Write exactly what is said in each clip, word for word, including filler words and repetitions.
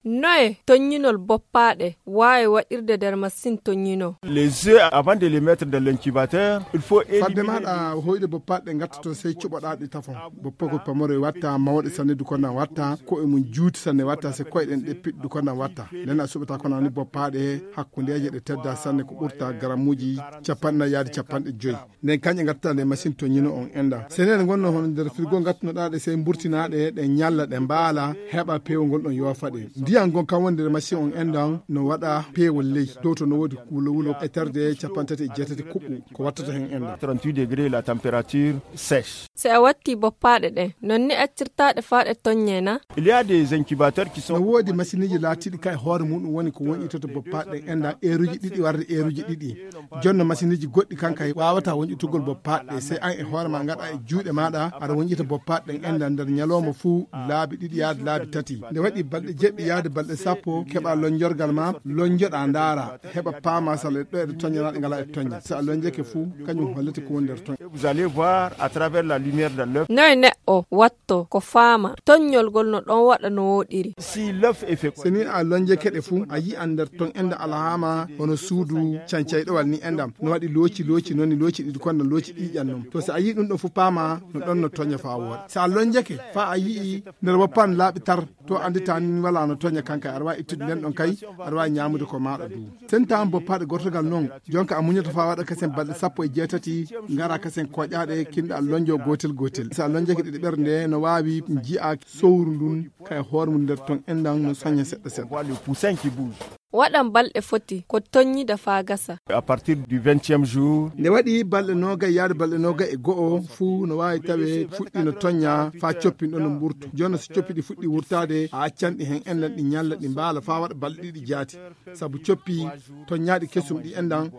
Noye tonñinol boppaaɗe waawi waɗirde nder masiŋ tonñinoo? Les œufs, avant de les mettre dans l'incubateur, il faut fadde éliminer maɗa hoyde boppaaɗe ɗe ngatta toon, sey cuɓoɗa ɗe tafon. Boppagol pamaro e watta, mawɗe sanne du konam watta, ko'e mum juuti sanne watta, se koyɗen ɗe piɗɗu konam watta. Nden a suɓata konam ni boppaaɗe hakkundeeje ɗe tedda sanne, ko ɓurta garamuuji capanɗe nayi yaade capanɗe joyi. Nden kañƴe ngattata nde machine toññino on enda. Seneede ngonno hono nder frigo ngattunoɗa ɗe, sey mburtinaɗe, ɗe ñalla, ɗe mbaala, heɓa peewol ngol ɗon yoofa ɗe. Ndiyan ngon kan woni nder machine on endan no waɗa peewol ley. Dow to no woodi wulo wulo e terde capanɗe tati e jeetati kuɓɓu ko wattata hen endan. Trente-huit degrés, la température sèche. Si a watti boppaaɗe ɗen, non ni accirtaɗe faa ɗe toññee na? Il y a des incubateurs qui sont... No woodi machine uji laatiɗi ka e hoore muɗum woni ko wonƴitoto boppaaɗe ɗen endan eeruji ɗiɗi warde eeruji ɗiɗi. Jonno machine uji goɗɗi kan kay wawata wonƴitugol boppaaɗe ɗe, sey an e hoore ma ngaɗa e juuɗe maɗa, aɗa wonƴita boppaaɗe ɗen endan nder ñalawma fuu laabi ɗiɗi yaade laabi tati. Nde waɗi balɗe jeɗɗi yaade balɗe sappo, keɓa lonjorgal ma, lonjoɗa ndaara, heɓa paama sala e ɗo eɗe toñña na ɗe ngala e toñña. Si a lonjake fuu, kañum hollete ko woni nder toñƴa. Vous allez voir à travers la lumière de l'œuf. Noye neɗɗo watto ko faama toññol ngol no ɗon waɗa no woɗiri? Si l'œuf est fécondé. So ni a lonjake ɗe fuu, a yi'an nder ton enda alhaama hono suudu cancayɗowal ni endam. No waɗi looci looci, non ni looci ɗiɗi konda looci ƴiiƴan non. To si a yi'i ɗum ɗo fuu paama no ɗon no toña faa wooɗa. Si a lonjake faa a yi'i nder woppan laaɓi tar, to anndita ni wala no toña kanka, aɗa waawi ittude nden ɗon kay, aɗa waawi ñaamude ko maaɗa du. Sen tawan boppaaɗe gortogal non, jonka a muñata faa waɗa kasen balɗe sappo e jeetati, ngara kasen koƴaaɗe, kinɗa a lonjo gootel gootel. Si a lonjake ɗiɗi ɓernde, no waawi ji'a sowru ndun, kay hoore mum nder ton endan no soña seɗɗa seɗɗa. On voit le poussin qui bouge. Waɗan balɗe foti ko toññida faa gasa. À partir du vingtième jour. Nde waɗi balɗe noogay yaade balɗe noogay e go'o fuu no waawi tawe fuɗɗi no toñña faa coppin ɗon no mburtu. Jooni si coppi ɗi fuɗɗi wurtaade, a accan ɗi hen enɗan ɗi ñalla ɗi mbaala faa waɗa balɗe ɗiɗi jaati. Sabu coppi toññaaɗi kesum ɗi enɗan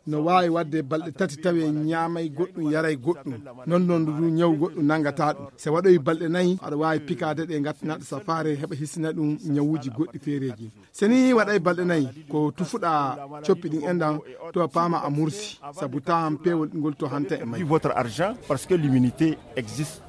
no waawi waɗde balɗe tati tawe ñaamay goɗɗum, yaray goɗɗum. Non non du ñaw goɗɗum nangata ɗum. Se waɗoyi balɗe nayi, aɗa waawi pikaade ɗe ngattinaaɗe safaare heɓa hisina ɗum ñawuuji goɗɗi feereeji. Se ni waɗay balɗe nayi, ko tufuɗa coppi ɗin enɗan, to a paama a mursi, sabu tahan peewol ngol to hanta e may. Votre argent, parce que l'immunité existe.